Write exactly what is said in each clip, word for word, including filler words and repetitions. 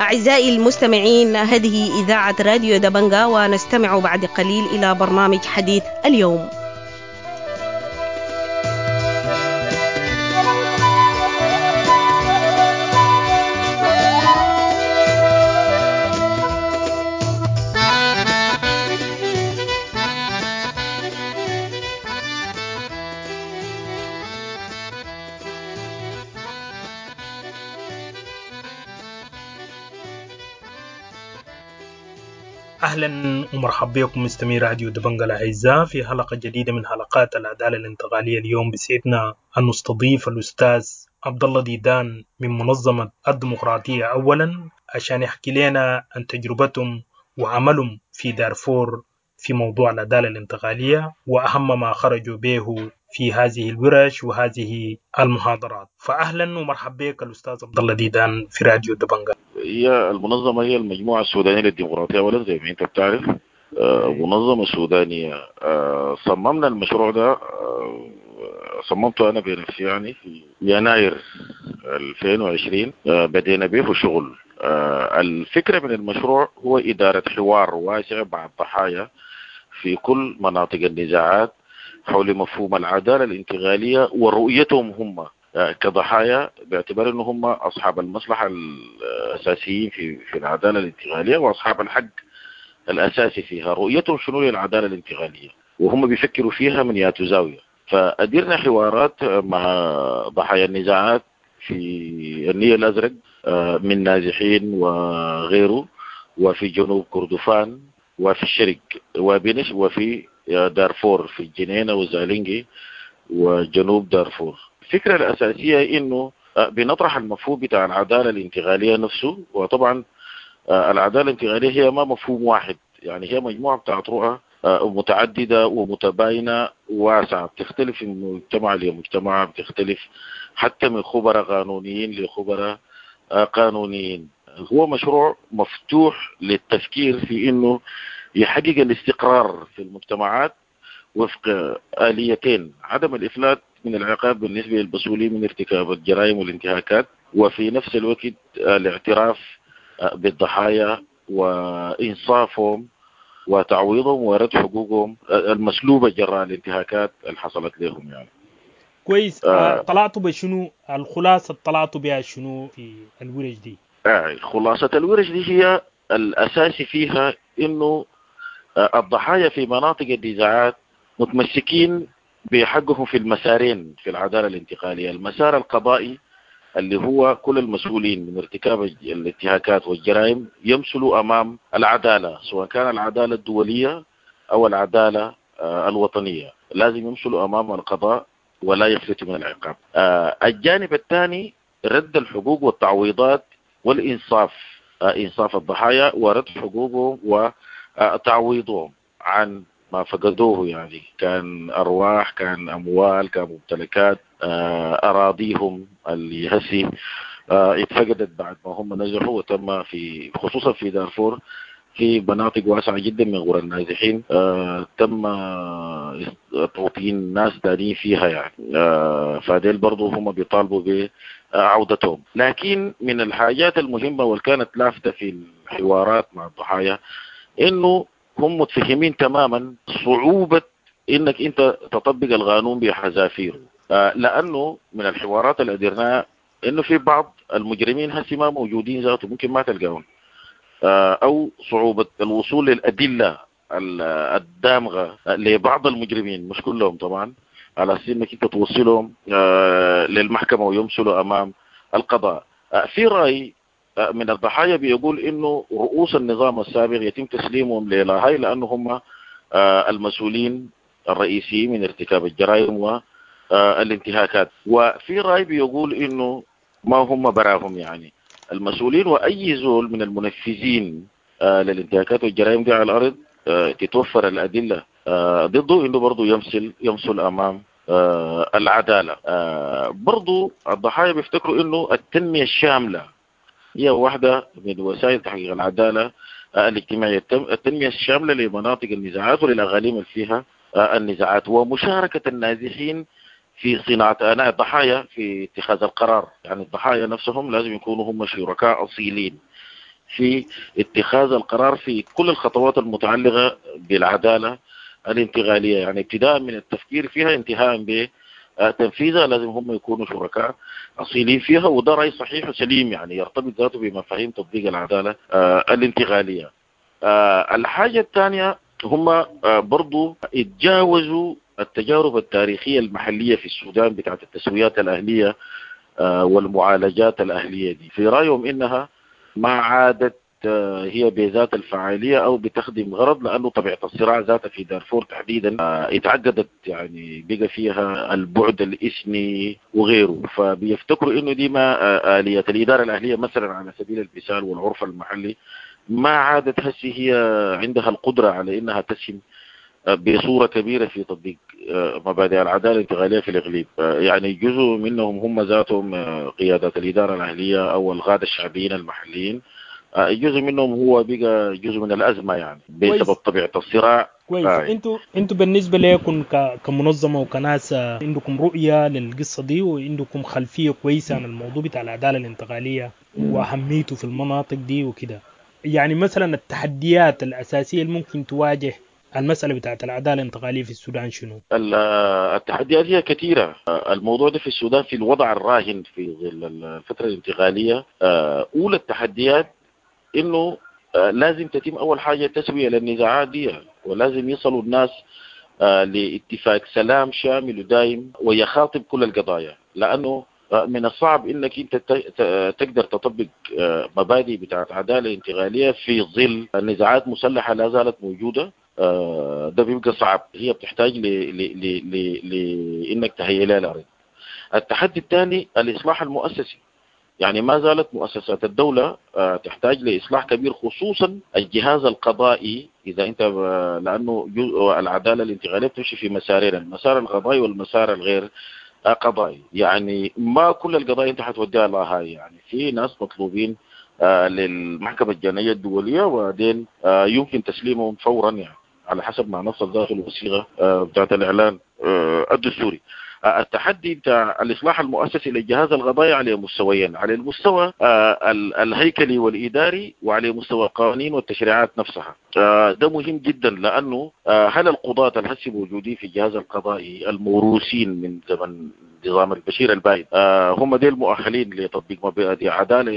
أعزائي المستمعين، هذه إذاعة راديو دبنجا، ونستمع بعد قليل إلى برنامج حديث اليوم. أهلا ومرحبا بكم مستمعي راديو دبنجا الأعزاء في حلقة جديدة من حلقات العدالة الانتقالية. اليوم بسعدنا أن نستضيف الأستاذ عبد الله ديدان من منظمة الديمقراطية أولا عشان يحكي لنا عن تجربتهم وعملهم في دارفور في موضوع العدالة الانتقالية وأهم ما خرجوا به في هذه الورش وهذه المحاضرات. فأهلا ومرحبا بك الأستاذ عبد الله ديدان في راديو دبنجا. هي المنظمة هي المجموعة السودانية للديمقراطية أولا، زي ما أنت بتعرف منظمة سودانية. صممنا المشروع ده، صممته أنا بنفسي يعني في يناير ألفين وعشرين، بدينا به شغل. الفكرة من المشروع هو إدارة حوار واسع مع الضحايا في كل مناطق النزاعات حول مفهوم العدالة الانتقالية ورؤيتهم هم كضحايا، باعتبار أنهم هم أصحاب المصلحة الأساسيين في في العدالة الانتقالية وأصحاب الحق الأساسي فيها. رؤيتهم شنو للعدالة الانتقالية وهم بيفكروا فيها من ياتو زاوية. فأديرنا حوارات مع ضحايا النزاعات في النيل الأزرق من نازحين وغيره، وفي جنوب كردفان، وفي الشرق وبنش، وفي دارفور في الجنينة وزالينجي وجنوب دارفور. الفكرة الأساسية إنه بنطرح المفهوم بتاع العدالة الانتقالية نفسه. وطبعا العدالة الانتقالية هي ما مفهوم واحد، يعني هي مجموعة بتاعت رؤى متعددة ومتباينة واسعة، بتختلف من مجتمع لمجتمع، بتختلف حتى من خبراء قانونيين لخبراء قانونيين. هو مشروع مفتوح للتفكير في إنه يحقق الاستقرار في المجتمعات وفق آليتين: عدم الإفلات من العقاب بالنسبة للمسؤولين من ارتكاب الجرائم والانتهاكات، وفي نفس الوقت الاعتراف بالضحايا وإنصافهم وتعويضهم ورد حقوقهم المسلوبة جراء الانتهاكات اللي حصلت لهم. يعني كويس. آه. طلعتوا بشنو الخلاصة؟ طلعتوا بها شنو في الورش دي؟ آه خلاصة الورش دي هي الأساسي فيها إنه الضحايا في مناطق النزاعات متمسكين بحقهم في المسارين في العدالة الانتقالية: المسار القضائي اللي هو كل المسؤولين من ارتكاب الانتهاكات والجرائم يمثلوا أمام العدالة، سواء كان العدالة الدولية أو العدالة الوطنية، لازم يمثلوا أمام القضاء ولا يفلتوا من العقاب. الجانب الثاني رد الحقوق والتعويضات والإنصاف، إنصاف الضحايا ورد حقوقهم وتعويضهم عن ما فقدوه، يعني كان أرواح، كان أموال، كان ممتلكات، أراضيهم اللي هسي اتفقدت بعد ما هم نزحوا، وتم في خصوصا في دارفور في مناطق واسعة جدا من قرى النازحين تم توطين ناس تانيين فيها يعني، فديل برضو هم بيطالبوا بعودتهم. لكن من الحاجات المهمة واللي كانت لافتة في الحوارات مع الضحايا إنه هم متفهمين تماما صعوبة إنك أنت تطبق القانون بحذافيره، لأنه من الحوارات اللي قدرناها إنه في بعض المجرمين هسي ما موجودين ذاته، ممكن ما تلقاهم، أو صعوبة الوصول للأدلة الدامغة لبعض المجرمين، مش كلهم طبعا، على أساس إنك أنت توصلهم للمحكمة ويمثلوا أمام القضاء. في رأي من الضحايا بيقول إنه رؤوس النظام السابق يتم تسليمهم للاهاي لأنه هم المسؤولين الرئيسيين من ارتكاب الجرائم والانتهاكات، وفي رأي بيقول إنه ما هم براهم يعني المسؤولين، وأي زول من المنفذين للانتهاكات والجرائم دي على الأرض تتوفر الأدلة ضده إنه برضو يمثل يمثل أمام العدالة. برضو الضحايا بيفتكروا إنه التنمية الشاملة هي واحدة من وسائل تحقيق العدالة الاجتماعية، التنمية الشاملة لمناطق النزاعات وللأغاليم اللي فيها النزاعات، ومشاركة النازحين في صناعة أناء الضحايا في اتخاذ القرار. يعني الضحايا نفسهم لازم يكونوا هم شركاء أصيلين في اتخاذ القرار في كل الخطوات المتعلقة بالعدالة الانتقالية، يعني ابتداء من التفكير فيها انتهاء بتنفيذها لازم هم يكونوا شركاء أصيلين فيها. وده رأي صحيح وسليم، يعني يرتبط ذاته بمفاهيم تطبيق العدالة الانتقالية. الحاجة الثانية هم برضو اتجاوزوا التجارب التاريخية المحلية في السودان بتاعت التسويات الأهلية والمعالجات الأهلية دي، في رأيهم إنها ما عادت هي بذات الفعالية أو بتخدم غرض، لأنه طبيعة الصراع ذاتها في دارفور تحديدا اتعقدت، يعني بقى فيها البعد الإثني وغيره، فبيفتكروا إنه دي ما آلية الإدارة الأهلية مثلا على سبيل المثال والعرف المحلي ما عادت هسي هي عندها القدرة على إنها تسهم بصورة كبيرة في تطبيق مبادئ العدالة الانتقالية في الإقليم. يعني جزء منهم هم ذاتهم قيادات الإدارة الأهلية أو القادة الشعبيين المحليين، جزء منهم هو بقى جزء من الأزمة يعني بسبب طبيعة الصراع. كويس. انتوا انتوا بالنسبة لكم كمنظمة وكناس عندكم رؤية للقصة دي وعندكم خلفية كويسة عن الموضوع بتاع العدالة الانتقالية وأهميته في المناطق دي وكده، يعني مثلا التحديات الأساسية اللي ممكن تواجه المسألة بتاعت العدالة الانتقالية في السودان شنو؟ التحديات هي كثيرة. الموضوع ده في السودان في الوضع الراهن في ظل الفترة الانتقالية، أولى التحديات إنه لازم تتم أول حاجة تسوية للنزاعات دي، ولازم يصلوا الناس لاتفاق سلام شامل ودائم ويخاطب كل القضايا، لأنه من الصعب انك انت تقدر تطبق مبادئ بتاعت عدالة انتقالية في ظل نزاعات مسلحة لا زالت موجودة. ده بيبقى صعب، هي بتحتاج لانك تهيئ لها الارض. التحدي الثاني الاصلاح المؤسسي، يعني ما زالت مؤسسات الدولة تحتاج لإصلاح كبير، خصوصا الجهاز القضائي. إذا أنت لأنه جزء العدالة الانتقالية بتمشي في مسارين، المسار القضائي والمسار الغير قضائي. يعني ما كل القضايا انت حتوديها لها، يعني في ناس مطلوبين للمحكمة الجنائية الدولية وبعدين يمكن تسليمهم فورا، يعني على حسب ما نص داخل الوثيقة بتاعت الإعلان الدستوري. التحدي بتاع الإصلاح المؤسسي للجهاز القضائي على مستويين، على المستوى الهيكلي والإداري وعلى مستوى القوانين والتشريعات نفسها. ده مهم جدا، لأنه هل القضاة الهسي موجودين في الجهاز القضائي الموروثين من زمن نظام البشير البائد هم ديل مؤهلين لتطبيق مبادئ عدالة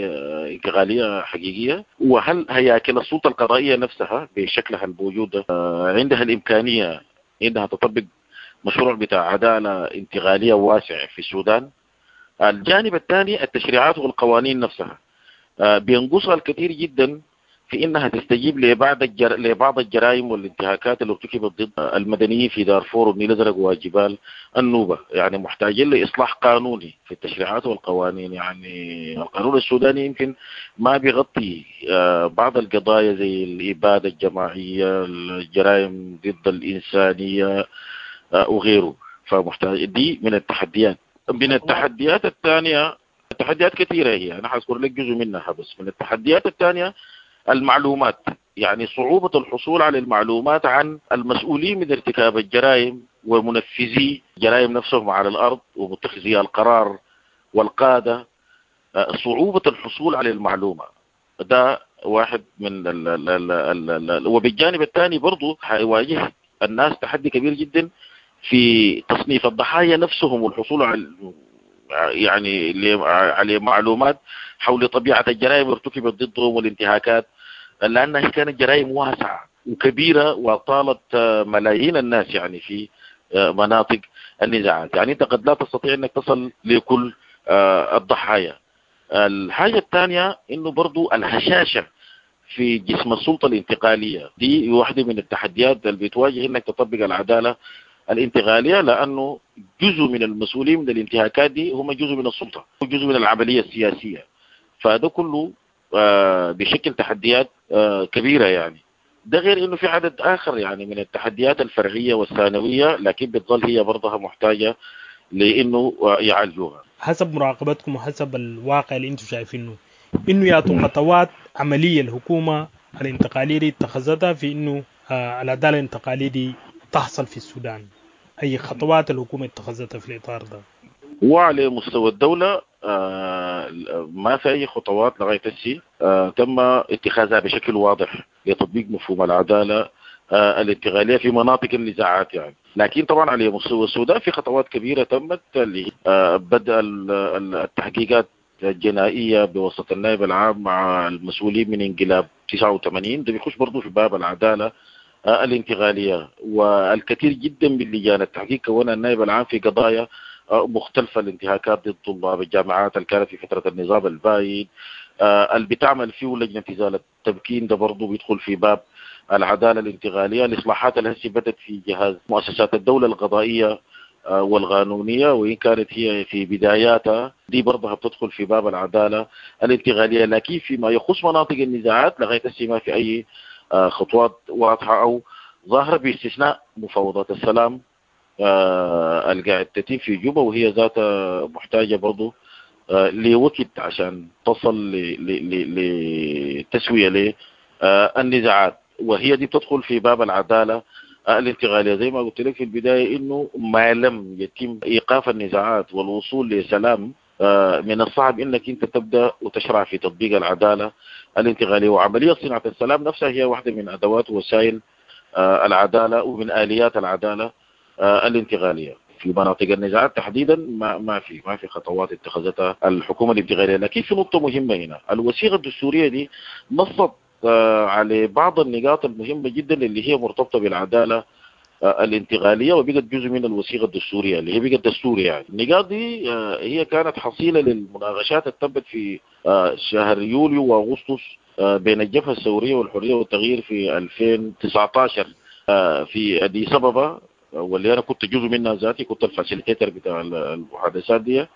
انتقالية حقيقية؟ وهل هياكل السلطة القضائية نفسها بشكلها الموجودة عندها الإمكانية إنها تطبق مشروع بتاع عدالة انتقالية واسع في السودان؟ الجانب الثاني التشريعات والقوانين نفسها بينقصها الكثير جدا في انها تستجيب لبعض الجر... لبعض الجرائم والانتهاكات اللي ارتكبت ضد المدنيين في دارفور والنيل الازرق وجبال النوبة. يعني محتاجين لاصلاح قانوني في التشريعات والقوانين. يعني القانون السوداني يمكن ما بيغطي بعض القضايا زي الابادة الجماعية، الجرائم ضد الانسانية وغيره، فمحتاج دي من التحديات. من التحديات الثانية، التحديات كثيرة هي، انا حاذكر لك جزء منها بس. من التحديات الثانية المعلومات، يعني صعوبة الحصول على المعلومات عن المسؤولين من ارتكاب الجرائم ومنفذي جرائم نفسهم على الأرض ومتخذي القرار والقادة. صعوبة الحصول على المعلومة ده واحد من ال ال ال ال ال وبالجانب الثاني برضو حيواجه الناس تحدي كبير جدا في تصنيف الضحايا نفسهم والحصول على يعني على معلومات حول طبيعة الجرائم ارتكبت ضدهم والانتهاكات، لأنها كانت جرائم واسعة وكبيرة وطالت ملايين الناس يعني في مناطق النزاعات. يعني أنت قد لا تستطيع أنك تصل لكل الضحايا. الحاجة الثانية أنه برضو الهشاشة في جسم السلطة الانتقالية دي واحدة من التحديات اللي بتواجه أنك تطبق العدالة الانتقالية، لأنه جزء من المسؤولين من الانتهاكات دي هم جزء من السلطة وجزء من العملية السياسية، فهذا كله بشكل تحديات كبيرة. يعني ده غير أنه في عدد آخر يعني من التحديات الفرعية والثانوية، لكن بتظل هي برضها محتاجة لأنه يعالجوها. حسب مراقبتكم وحسب الواقع اللي انتم شايفينه، إنه ياتوا خطوات عملية الحكومة الانتقالية دي اتخذتها في إنه العدالة الانتقالية دي تحصل في السودان، أي خطوات الحكومة اتخذتها في الإطار ده؟ وعلى مستوى الدولة ما في أي خطوات لغاية هسي تم اتخاذها بشكل واضح لتطبيق مفهوم العدالة الانتقالية في مناطق النزاعات يعني. لكن طبعا على مستوى السودان في خطوات كبيرة تمت، اللي بدأ التحقيقات الجنائية بواسطة النائب العام مع المسؤولين من انقلاب تسعة وثمانين، ده بيخش برضه في باب العدالة الانتقالية. والكثير جدا من لجان التحقيق كونها النائب العام في قضايا مختلفة، الانتهاكات ضد طلاب الجامعات اللي كانت في فترة النظام البايد، اللي بتعمل فيه لجنة إزالة التمكين ده برضه بيدخل في باب العدالة الانتقالية. الإصلاحات اللي هسه بدت في جهاز مؤسسات الدولة القضائية والقانونية وإن كانت هي في بداياتها دي برضها بتدخل في باب العدالة الانتقالية. لكن فيما يخص مناطق النزاعات لغاية هسه ما في أي خطوات واضحة أو ظاهرة، باستثناء مفاوضات السلام القاعد تتم في جوبا، وهي ذاتها محتاجة برضو لوقت عشان تصل لتسوية للنزاعات، وهي دي بتدخل في باب العدالة الانتقالية. زي ما قلت لك في البداية إنه ما لم يتم إيقاف النزاعات والوصول لسلام من الصعب إنك أنت تبدأ وتشرع في تطبيق العدالة الانتقالية. وعملية صناعة السلام نفسها هي واحدة من أدوات وسائل العدالة ومن آليات العدالة الانتقالية. في مناطق النزاعات تحديدا ما ما في ما في خطوات اتخذتها الحكومة الانتقالية. لكن في نقطة مهمة هنا، الوثيقة الدستورية دي نصت على بعض النقاط المهمة جدا اللي هي مرتبطة بالعدالة الانتقالية وبقت جزء من الوثيقة الدستورية اللي هي بقت دستورية يعني. النقاط دي هي كانت حصيلة للمناقشات اللي تمت في شهر يوليو وأغسطس بين الجبهة الثورية والحرية والتغيير في ألفين وتسعة عشر في أديس أبابا، واللي أنا كنت جزء منها ذاتي، كنت ال facilitator بتاع المحادثات دي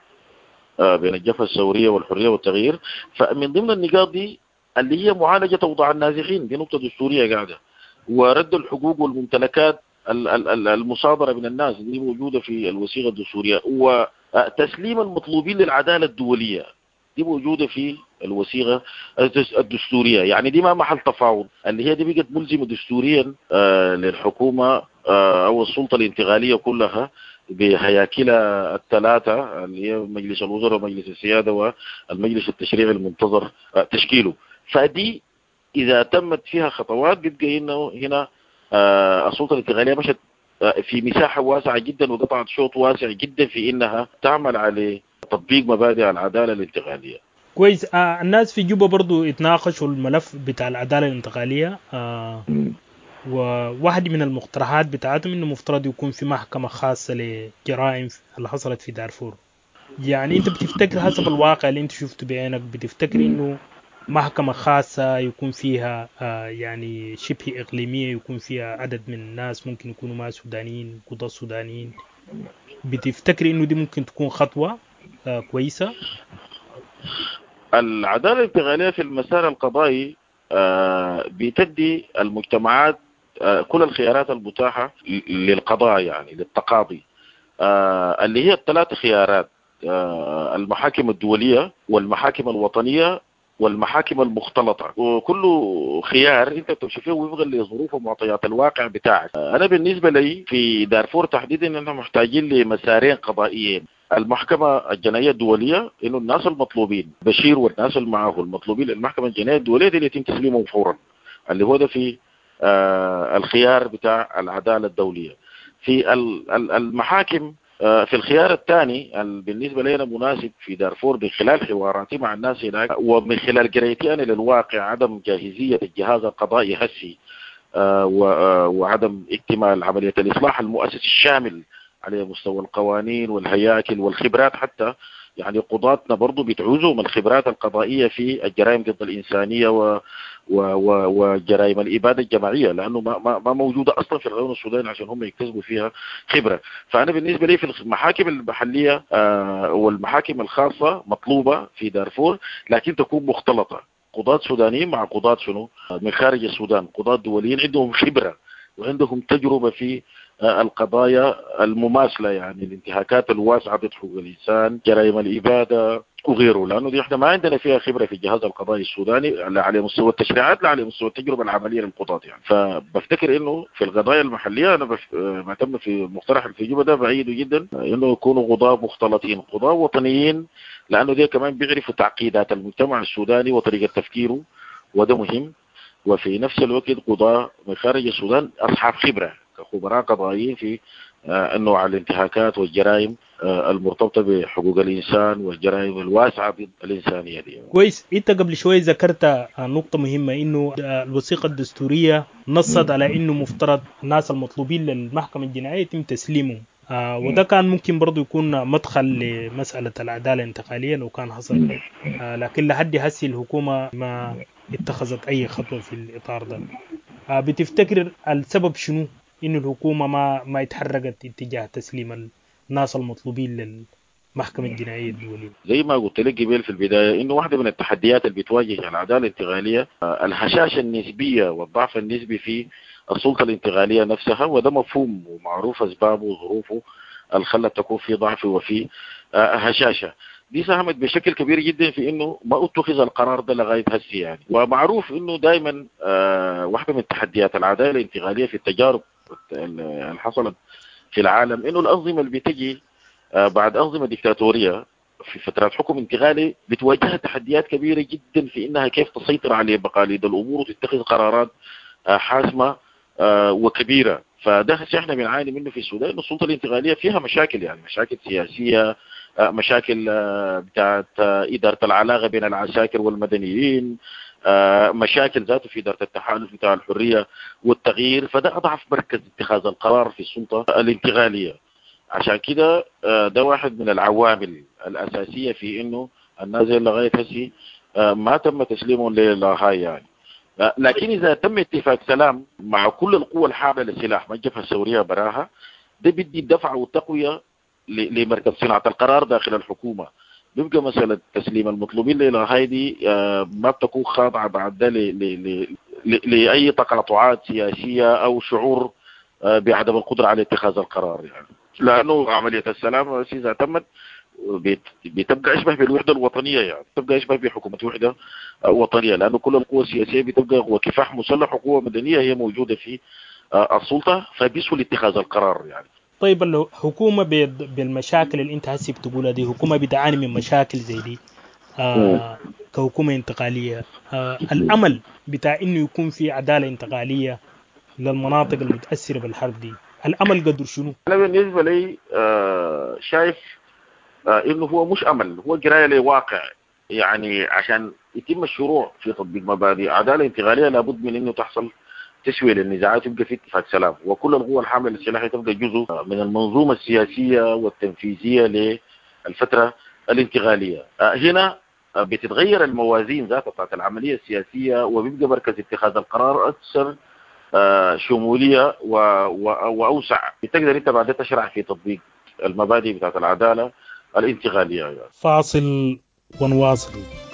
بين الجبهة الثورية والحرية والتغيير. فمن ضمن النقاط دي اللي هي معالجة أوضاع النازحين، دي نقطة دستورية قاعدة، ورد الحقوق والممتلكات المصادرة من الناس دي موجودة في الوثيقة الدستورية، وتسليم المطلوبين للعدالة الدولية دي موجودة في الوثيقة الدستورية. يعني دي ما محل تفاوض، اللي هي دي بقت ملزمة دستوريا للحكومة أو السلطة الانتقالية كلها بهياكلها الثلاثة اللي هي مجلس الوزراء ومجلس السيادة والمجلس التشريعي المنتظر تشكيله. فدي إذا تمت فيها خطوات بيبقى إنه هنا السلطة الانتقالية مشت في مساحة واسعة جدا وقطعت شوط واسع جدا في إنها تعمل على تطبيق مبادئ العدالة الانتقالية. كويس. آه الناس في جوبا برضو اتناقشوا الملف بتاع العدالة الانتقالية، آه وواحد من المقترحات بتاعتهم إنه مفترض يكون في محكمة خاصة لجرائم اللي حصلت في دارفور. يعني أنت بتفتكر حسب الواقع اللي أنت شفته بعينك، بتفتكر إنه محكمة خاصة يكون فيها آه يعني شبه إقليمية، يكون فيها عدد من الناس ممكن يكونوا ما سودانيين، قضاة سودانيين، بتفتكر إنه دي ممكن تكون خطوة آه كويسة؟ العدالة الانتقالية في المسار القضائي آه بتدي المجتمعات آه كل الخيارات المتاحة للقضاء، يعني للتقاضي، آه اللي هي الثلاث خيارات، آه المحاكم الدولية والمحاكم الوطنية والمحاكم المختلطة. وكل خيار انت بتمشي فيه وفقا لظروف ومعطيات الواقع بتاعك. انا بالنسبة لي في دارفور تحديدا اننا محتاجين لمسارين قضائيين، المحكمة الجنائية الدولية انه الناس المطلوبين بشير والناس اللي معه المطلوبين للمحكمة الجنائية الدولية دي اللي يتم تسليمهم فورا، اللي هو ده في آه الخيار بتاع العدالة الدولية. في المحاكم في الخيار الثاني بالنسبة لنا مناسب في دارفور من خلال حواراتي مع الناس هناك ومن خلال قرايتي أنا للواقع، عدم جاهزية الجهاز القضائي هسي وعدم اكتمال عملية الإصلاح المؤسسي الشامل على مستوى القوانين والهياكل والخبرات، حتى يعني قضاتنا برضو بتعوزهم الخبرات القضائية في الجرائم ضد الإنسانية و و و وجرائم الإبادة الجماعية، لأنه ما, ما, ما موجودة أصلا في القانون السوداني عشان هم يكتسبوا فيها خبرة. فأنا بالنسبة لي في المحاكم المحلية والمحاكم الخاصة مطلوبة في دارفور، لكن تكون مختلطة، قضاة سودانيين مع قضاة شنو من خارج السودان، قضاة دوليين عندهم خبرة وعندهم تجربة في القضايا المماثلة، يعني الانتهاكات الواسعة ضد حقوق الإنسان، جرائم الإبادة وغيره، لأنه دي احنا ما عندنا فيها خبرة في الجهاز القضائي السوداني لا على مستوى التشريعات لا على مستوى التجربة العملية للقضاة يعني. فبفتكر إنه في القضايا المحلية أنا بف... ما تم في مقترح في جوبا ده بعيد جدا إنه يكونوا قضاة مختلطين، قضاة وطنيين لانه دي كمان بيعرفوا تعقيدات المجتمع السوداني وطريقه تفكيره، وده مهم. وفي نفس الوقت قضاة من خارج السودان اصحاب خبره كخبراء قضائيين في النوع الانتهاكات والجرائم المرتبطة بحقوق الانسان والجرائم الواسعة ضد الانسانية دي. كويس، انت قبل شوي ذكرت نقطة مهمة، انه الوثيقة الدستورية نصت على انه مفترض الناس المطلوبين للمحكمة الجنائية يتم تسليمهم، آه وده كان ممكن برضو يكون مدخل لمسألة العدالة الانتقالية لو كان حصل، آه لكن لحد هسي الحكومة ما اتخذت أي خطوة في الإطار ده. آه بتفتكر السبب شنو إنه الحكومة ما ما اتحركت اتجاه تسليم الناس المطلوبين للمحكمة الجنائية الدولية؟ زي ما قلت لك قبل في البداية إنه واحدة من التحديات اللي بتواجه العدالة الانتقالية الهشاشة النسبية والضعف النسبي في السلطة الانتقالية نفسها، وده مفهوم ومعروف أسبابه وظروفه اللي خلت تكون في ضعف وفي هشاشة. دي ساهمت بشكل كبير جدا في انه ما اتخذ القرار ده لغاية هسه يعني. ومعروف انه دائما واحدة من تحديات العدالة الانتقالية في التجارب اللي حصلت في العالم انه الانظمة اللي بتجي بعد انظمة ديكتاتوريه في فترات حكم انتقالي بتواجهها تحديات كبيرة جدا في انها كيف تسيطر على مقاليد الامور وتتخذ قرارات حاسمة وكبيره. فده هسه احنا بنعاني منه في السودان، انه السلطة الانتقالية فيها مشاكل، يعني مشاكل سياسية، مشاكل بتاعت ادارة العلاقة بين العساكر والمدنيين، مشاكل ذاته في ادارة التحالف بتاع الحرية والتغيير. فده اضعف مركز اتخاذ القرار في السلطة الانتقالية. عشان كده ده واحد من العوامل الاساسية في انه الناس لغاية هسي ما تم تسليمهم للاهاي يعني. لكن اذا تم اتفاق سلام مع كل القوى الحاملة للسلاح، ما الجبهة الثورية براها، ده بدي دفعه وتقويه لمركز صناعة القرار داخل الحكومة. بيبقى مسالة تسليم المطلوبين للاهاي دي ما بتكون خاضعة بعد ده لاي تقاطعات سياسية او شعور بعدم القدرة على اتخاذ القرار يعني. لانه عملية السلام اذا تمت بتبقى اشبه بالوحدة الوطنية، يعني بتبقى اشبه بحكومة وحده وطنية، لانه كل القوى السياسية بتبقى قوة كفاح مسلح وقوه مدنية هي موجودة في السلطة، فبيسهل اتخاذ القرار يعني. طيب الحكومة بالمشاكل اللي انت هسي بتقولها دي، حكومة بتعاني من مشاكل زي دي آه كحكومة انتقالية، آه الامل بتاع انه يكون في عدالة انتقالية للمناطق المتاثرة بالحرب دي، الامل قدر شنو؟ انا بالنسبة لي آه شايف آه انه هو مش امل، هو قرايه لواقع يعني. عشان يتم الشروع في تطبيق مبادئ عدالة انتقالية لابد من انه تحصل تسويه للنزاعات، يبقى في اتفاق سلام، وكل القوى الحاملة للسلاح تبقى جزء من المنظومة السياسية والتنفيذيه للفترة الانتقالية. آه هنا بتتغير الموازين ذاتها بتاعت العملية السياسية، وبيبقى مركز اتخاذ القرار اكثر شمولية واوسع، بتقدر انت بعدها تشرع في تطبيق المبادئ بتاعت العدالة الانتقالية يعني. فاصل ونواصل. يا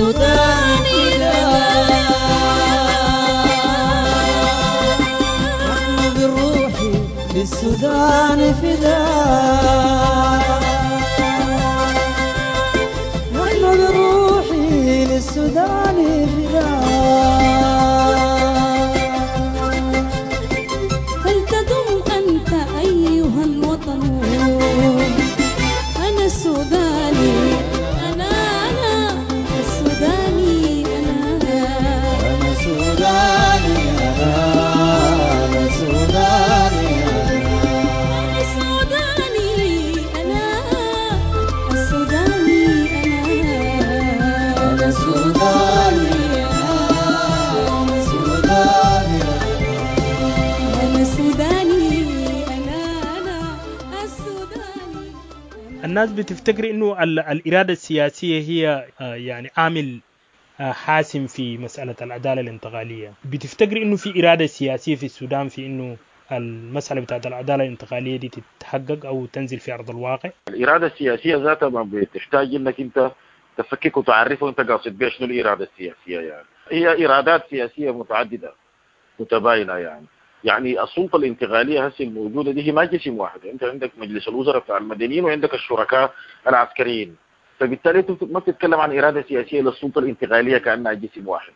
للسودان فداء. نحن بالروح للسودان فداء، نحن بالروح للسودان فداء. فلتدم أنت أيها الوطن، أنا السوداني، أنا أنا السوداني، أنا أنا سوداني، أنا أنا سوداني، أنا السوداني، أنا السوداني، أنا أنا سوداني، أنا سوداني، أنا سوداني، أنا أنا السوداني. الناس بتفتكر انه ال- الارادة السياسية هي آه، يعني عامل آه، حاسم في مسالة العدالة الانتقالية. بتفتكر انه في اراده سياسية في السودان في انه المسالة بتاعت العدالة الانتقالية دي تتحقق او تنزل في ارض الواقع؟ الارادة السياسية ذاتها ما بتحتاج انك انت تفكك وتعرفه انت قاصد بيها شنو الارادة السياسية. يعني هي ارادات سياسية متعددة متباينة. يعني يعني السلطة الانتقالية هسه الموجودة دي هي ما جسم واحد، انت عندك مجلس الوزراء بتاع المدنيين وعندك الشركاء العسكريين، فبالتالي انت ما بتتكلم عن اراده سياسية للسلطة الانتقالية كانها جسم واحد.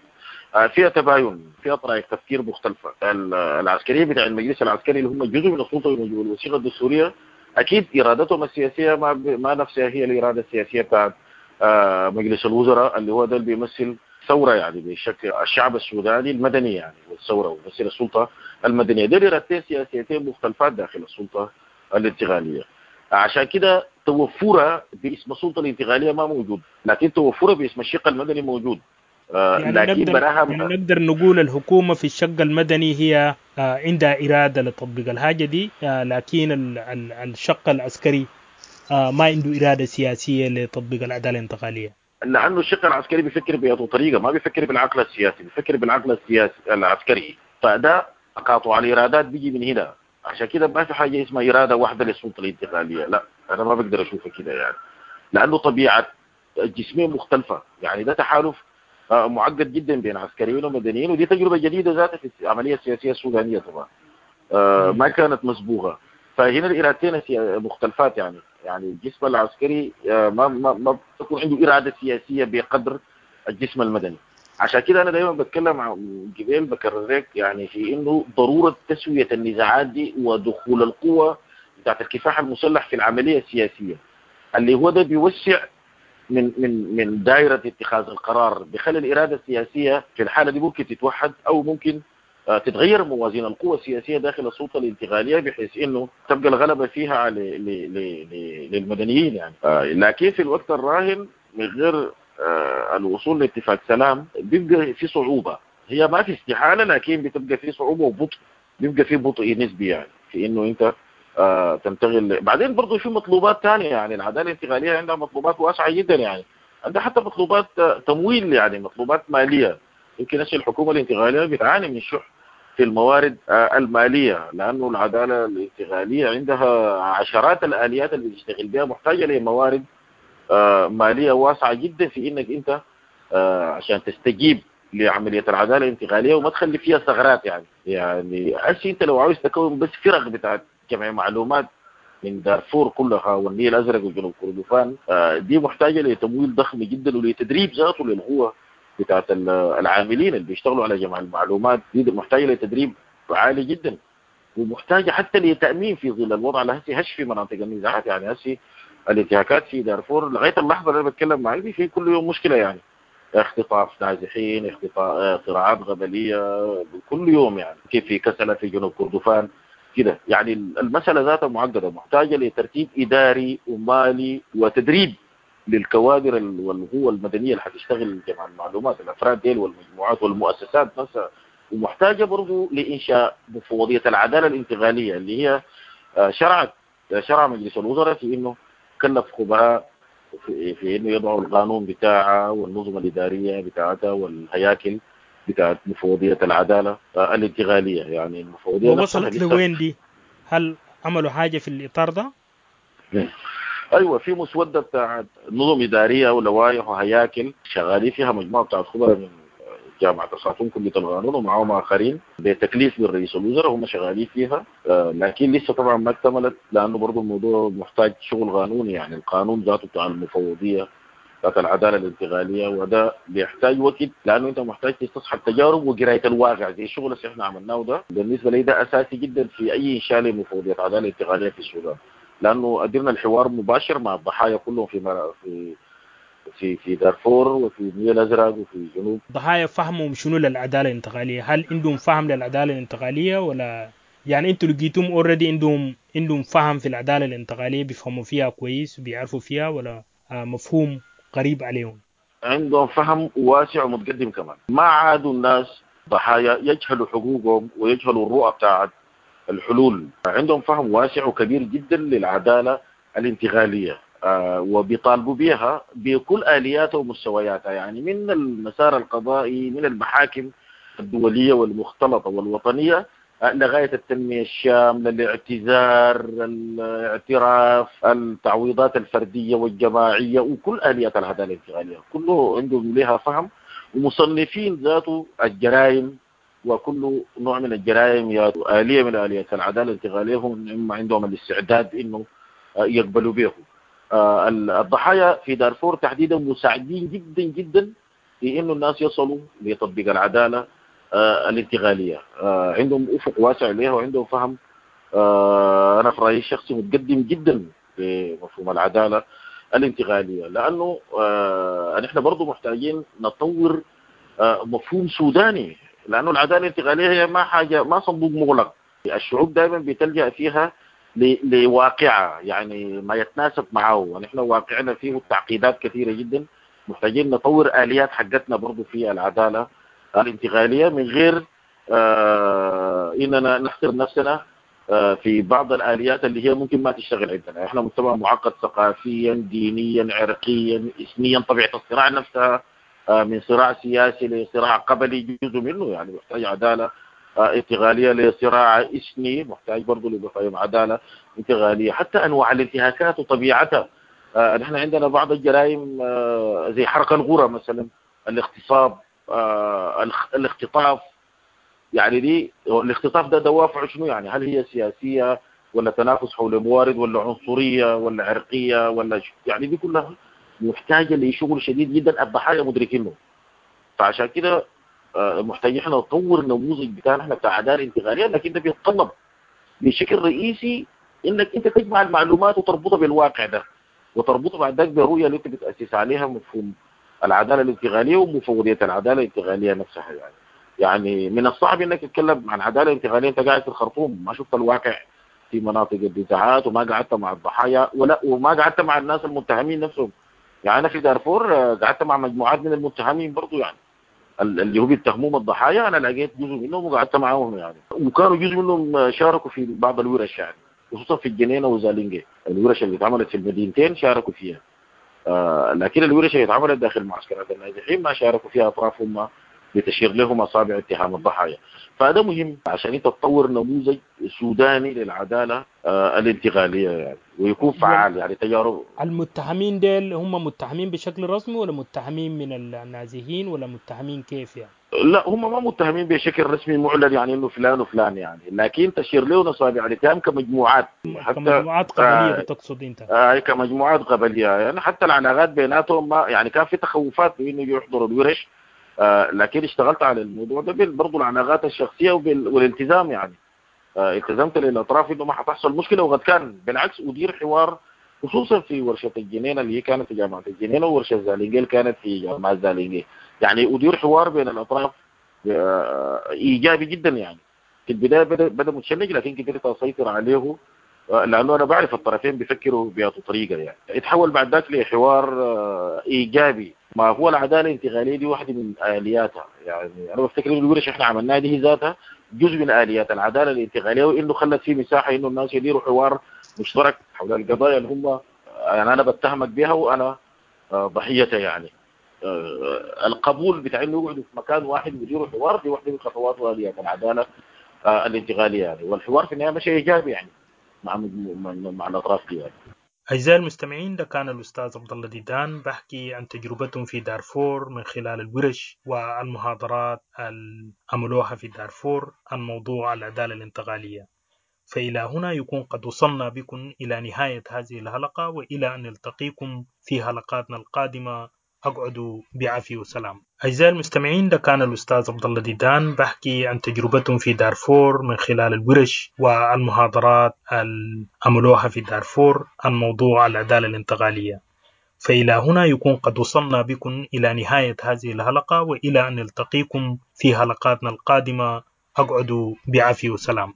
آه، فيها تباين، فيها طرائق تفكير مختلفة. ال- العسكرية بتاع المجلس العسكري اللي هم جزء من السلطة والوثيقه الدستورية، اكيد ارادتهم السياسية ما ب- ما نفسها هي الارادة السياسية بتاعت آه، مجلس الوزراء اللي هو ده اللي بيمثل ثورة يعني بشكل الشعب السوداني المدني يعني، والثورة ويمثل السلطة المدنية. دي ارادتين سياسيتين مختلفات داخل السلطة الانتقالية. عشان كده توفرها باسم السلطة الانتقالية ما موجود، لكن توفرها باسم الشق المدني موجود. آه، يعني لكن نقدر براها يعني نقدر نقول الحكومة في الشق المدني هي آه، عندها اراده لتطبيق الحاجة دي، آه، لكن ال- ال- الشق العسكري آه، ما عنده اراده سياسية لتطبيق العدالة الانتقالية. لانه الشق العسكري بيفكر بأي طريقه، ما بيفكر بالعقل السياسي، بيفكر بالعقل السياسي العسكري، فده تقاطع الارادات بيجي من هنا. عشان كده ما في حاجة اسمها اراده واحدة للسلطة الانتقالية، لا انا ما بقدر اشوفها كده يعني، لانه طبيعة الجسمين مختلفة. يعني ده تحالف آه، معقد جدا بين عسكريين ومدنيين، ودي تجربه جديدة ذاتها في العملية السياسية السودانية طبعا، آه، ما كانت مسبوقة. فهنا الارادتين السيا- مختلفات يعني، يعني الجسم العسكري آه، ما ما ما بتكون عنده اراده سياسية بقدر الجسم المدني. عشان كده انا دايما بتكلم عن جبال بكرر لك يعني في انه ضرورة تسويه النزاعات دي ودخول القوة بتاعت الكفاح المسلح في العملية السياسية، اللي هو ده بيوسع من من من دائرة اتخاذ القرار، بيخلي الارادة السياسية في الحالة دي ممكن تتوحد او ممكن آه، تتغير موازين القوى السياسية داخل السلطة الانتقالية بحيث انه تبقى الغلبة فيها على ل- ل- ل- للمدنيين يعني. آه، لكن في الوقت الراهن من غير آه، الوصول لاتفاق سلام بيبقى في صعوبة، هي ما في استحالة لكن بتبقى في صعوبة وبطء، بيبقى في بطء نسبي يعني في انه انت آه، تنتقل. بعدين برضه في مطلوبات ثانية يعني، العدالة الانتقالية عندها مطلوبات واسعة جدا يعني، عندها حتى مطلوبات آه، تمويل يعني، مطلوبات ماليه. يمكن هسه الحكومة الانتقالية بتعاني من شح في الموارد آه، المالية، لانه العدالة الانتقالية عندها عشرات الاليات اللي بتشتغل بها، محتاجه لموارد آه، ماليه واسعة جدا في انك انت آه، عشان تستجيب لعملية العدالة الانتقالية وما تخلي فيها ثغرات يعني. يعني هسه انت لو عاوز تكون بس فرق بتاعت جمع معلومات من دارفور كلها والنيل الازرق وجنوب كردفان، آه، دي محتاجه لتمويل ضخم جدا ولتدريب ذاته للقوة بتاعت ال- العاملين اللي بيشتغلوا على جمع المعلومات دي، محتاجه لتدريب عالي جدا، ومحتاجة حتى لتامين في ظل الوضع اللي هسه هش في مناطق النزاعات يعني. هسه الانتهاكات في دارفور لغاية اللحظة اللي انا بتكلم معاك دي في كل يوم مشكلة يعني، اختطاف نازحين، اختطاف صراعات غبليه كل يوم يعني، كيف في كسله في جنوب كردفان كده يعني. المسالة ذاتها معقدة، محتاجه لترتيب اداري ومالي وتدريب للكوادر ال- والقوى المدنية اللي حتشتغل جمع المعلومات، الافراد ديل والمجموعات والمؤسسات نفسها، ومحتاجة برضه لانشاء مفوضيه العدالة الانتقالية اللي هي آه، شرعت شرع مجلس الوزراء في انه كلف خبراء في, في انه يضعوا القانون بتاعها والنظم الادارية بتاعتها والهياكل بتاعت مفوضيه العدالة آه، الانتقالية يعني. المفوضية نفسها ووصلت لسه لوين دي؟ هل عملوا حاجة في الاطار ده؟ ايوه في مسودة بتاعت نظم ادارية ولوائح وهياكل شغالين فيها مجموعة بتاعت خبراء من جامعه الخرطوم كليه القانون ومعاهم اخرين بتكليف من رئيس الوزراء هم شغالين فيها، لكن لسه طبعا ما اكتملت لانه برضه الموضوع محتاج شغل قانوني، يعني القانون ذاته بتاع المفوضية بتاعت العدالة الانتقالية، وده بيحتاج وقت لانه انت محتاج تستصحب تجارب وقرايه الواقع زي الشغل اللي احنا عملناه ده. بالنسبة لي ده اساسي جدا في اي انشاء لمفوضيه عدالة انتقالية في السودان، لانه قدرنا الحوار مباشر مع الضحايا كلهم في في في في دارفور وفي النيل الازرق وفي الجنوب. الضحايا فهمهم شنو للعدالة الانتقالية؟ هل عندهم فهم للعدالة الانتقالية ولا يعني انتوا لقيتهم already عندهم عندهم فهم في العدالة الانتقالية، بيفهموا فيها كويس وبيعرفوا فيها، ولا مفهوم قريب عليهم؟ عندهم فهم واسع ومتقدم كمان. ما عادوا الناس ضحايا يجهلوا حقوقهم ويجهلوا الرؤى بتاعت الحلول، عندهم فهم واسع وكبير جدا للعدالة الانتقالية، آه وبيطالبوا بها بكل آلياتها ومستوياتها، يعني من المسار القضائي، من المحاكم الدولية والمختلطة والوطنية، آه لغاية التنمية الشاملة، الاعتذار، الاعتراف، التعويضات الفردية والجماعية، وكل آليات العدالة الانتقالية كله عندهم لها فهم، ومصنفين ذاته الجرائم، وكل نوع من الجرائم يا آلية من آليات العدالة الانتقالية هم عندهم الاستعداد إنه يقبلوا به. الضحايا في دارفور تحديدا مساعدين جدا جدا في إنه الناس يصلوا لتطبيق العدالة الانتقالية، عندهم أفق واسع لها وعندهم فهم، أنا في رأيي الشخصي متقدم جدا بمفهوم العدالة الانتقالية، لأنه نحن برضو محتاجين نطور مفهوم سوداني، لأنه العدالة الانتقالية هي ما حاجة، ما صندوق مغلق، الشعوب دائما بتلجأ فيها لواقعة يعني ما يتناسب معه، ونحن واقعنا فيه تعقيدات كثيرة جدا، محتاجين نطور آليات حقتنا برضو في العدالة الانتقالية من غير آه إننا نحصر نفسنا آه في بعض الآليات اللي هي ممكن ما تشتغل عندنا. احنا مجتمع معقد ثقافيا، دينيا، عرقيا، إثنيا، طبيعة الصراع نفسها آه من صراع سياسي لصراع قبلي جزء منه، يعني محتاج عدالة انتقالية لصراع إثني، محتاج برضه لمفاهيم عدالة انتقالية، حتى أنواع الانتهاكات وطبيعتها. آه نحن عندنا بعض الجرائم آه زي حرق الغرة مثلا، الاغتصاب، آه الاختطاف، يعني دي الاختطاف ده دوافع شنو يعني؟ هل هي سياسية ولا تنافس حول موارد ولا عنصرية ولا عرقية ولا ش... يعني دي كلها محتاجة لشغل شديد جدا الضحايا مدركينه. فعشان كده محتاجين احنا نطور النموذج بتاعنا احنا بتاع عدالة انتقالية، لكن ده بيتطلب بشكل رئيسي انك انت تجمع المعلومات وتربطها بالواقع ده، وتربطها بعد ذاك بالرؤية اللي انت بتاسس عليها مفهوم العدالة الانتقالية ومفوضيه العدالة الانتقالية نفسها. يعني يعني من الصعب انك تتكلم عن عدالة انتقالية انت قاعد في الخرطوم، ما شفت الواقع في مناطق النزاعات، وما قعدت مع الضحايا ولا وما قعدت مع الناس المتهمين نفسهم. يعني انا في دارفور قعدت مع مجموعات من المتهمين برضو، يعني اللي هو بيتهموهم الضحايا انا لقيت جزء منهم وقعدت معاهم يعني، وكانوا جزء منهم شاركوا في بعض الورش، يعني خصوصا في الجنينة وزالينجي، الورش اللي اتعملت في المدينتين شاركوا فيها. آه لكن الورش اللي اتعملت داخل معسكرات النازحين ما شاركوا فيها اطرافهم لتشير لهم اصابع اتهام الضحايا. فهذا مهم عشان انت تطور نموذج سوداني للعدالة آه الانتقالية يعني، ويكون فعال. يعني تجارب المتهمين ديل هم متهمين بشكل رسمي ولا متهمين من النازحين ولا متهمين كيف يعني؟ لا هم ما متهمين بشكل رسمي معلن يعني انه فلان وفلان يعني، لكن تشير لهم اصابع الاتهام كمجموعات، حتى كمجموعات قبليه. آه بتقصد انت؟ آه كمجموعات قبليه يعني، حتى العلاقات بيناتهم ما يعني كان في تخوفات بانه يحضروا الورش، آه لكن اشتغلت على الموضوع ده برضه العلاقات الشخصية والالتزام يعني. آه التزمت للاطراف انه ما حتحصل مشكلة، وقد كان بالعكس ادير حوار خصوصا في ورشه الجنينة اللي هي كانت في جامعه الجنينة، وورشه زالينجيل كانت في جامعه زالينجيل، يعني ادير حوار بين الاطراف آه ايجابي جدا. يعني في البداية بدا, بدا متشنج، لكن قدرت اسيطر عليه آه لانه انا بعرف الطرفين بيفكروا بأي طريقه يعني. اتحول بعد ذاك لحوار آه ايجابي. ما هو العدالة الانتقالية دي واحدة من الياتها، يعني انا بفتكر انه الورش احنا عملناها دي هي ذاتها جزء من اليات العدالة الانتقالية، وانه خلت في مساحة انه الناس يديروا حوار مشترك حول القضايا اللي هم يعني انا بتهمك بها وانا ضحيتها. يعني القبول بتاع انه يقعدوا في مكان واحد ويديروا حوار دي واحدة من خطوات واليات العدالة الانتقالية يعني، والحوار في النهاية مشي ايجابي يعني مع مع الاطراف دي يعني. أعزائي المستمعين، ده كان الأستاذ عبد الله ديدان بحكي عن تجربتهم في دارفور من خلال الورش والمحاضرات اللي عملوها في دارفور عن موضوع العدالة الانتقالية. فإلى هنا يكون قد وصلنا بكم إلى نهاية هذه الحلقة، وإلى أن نلتقيكم في حلقاتنا القادمة أقعدوا بعافية وسلام. أعزائي المستمعين، ده كان الأستاذ عبد الله ديدان بحكي عن تجربتهم في دارفور من خلال الورش والمحاضرات اللي عملوها في دارفور عن موضوع العدالة الانتقالية. فإلى هنا يكون قد وصلنا بكم إلى نهاية هذه الحلقة، وإلى أن نلتقيكم في حلقاتنا القادمة أقعدوا بعافية وسلام.